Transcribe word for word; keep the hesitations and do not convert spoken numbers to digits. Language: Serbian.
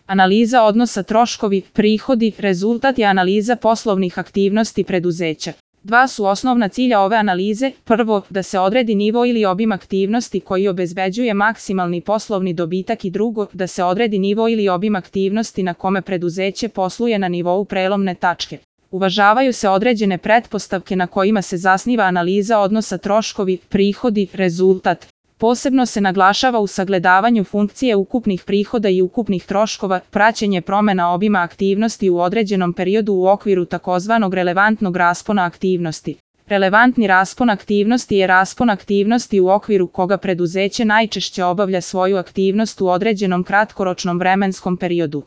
Analiza odnosa troškovi, prihodi, rezultat je analiza poslovnih aktivnosti preduzeća. Dva su osnovna cilja ove analize. Prvo, da se odredi nivo ili obim aktivnosti koji obezbeđuje maksimalni poslovni dobitak i drugo, da se odredi nivo ili obim aktivnosti na kome preduzeće posluje na nivou prelomne tačke. Uvažavaju se određene pretpostavke na kojima se zasniva analiza odnosa troškovi, prihodi, rezultat. Posebno se naglašava u sagledavanju funkcije ukupnih prihoda i ukupnih troškova, praćenje promena obima aktivnosti u određenom periodu u okviru takozvanog relevantnog raspona aktivnosti. Relevantni raspon aktivnosti je raspon aktivnosti u okviru koga preduzeće najčešće obavlja svoju aktivnost u određenom kratkoročnom vremenskom periodu.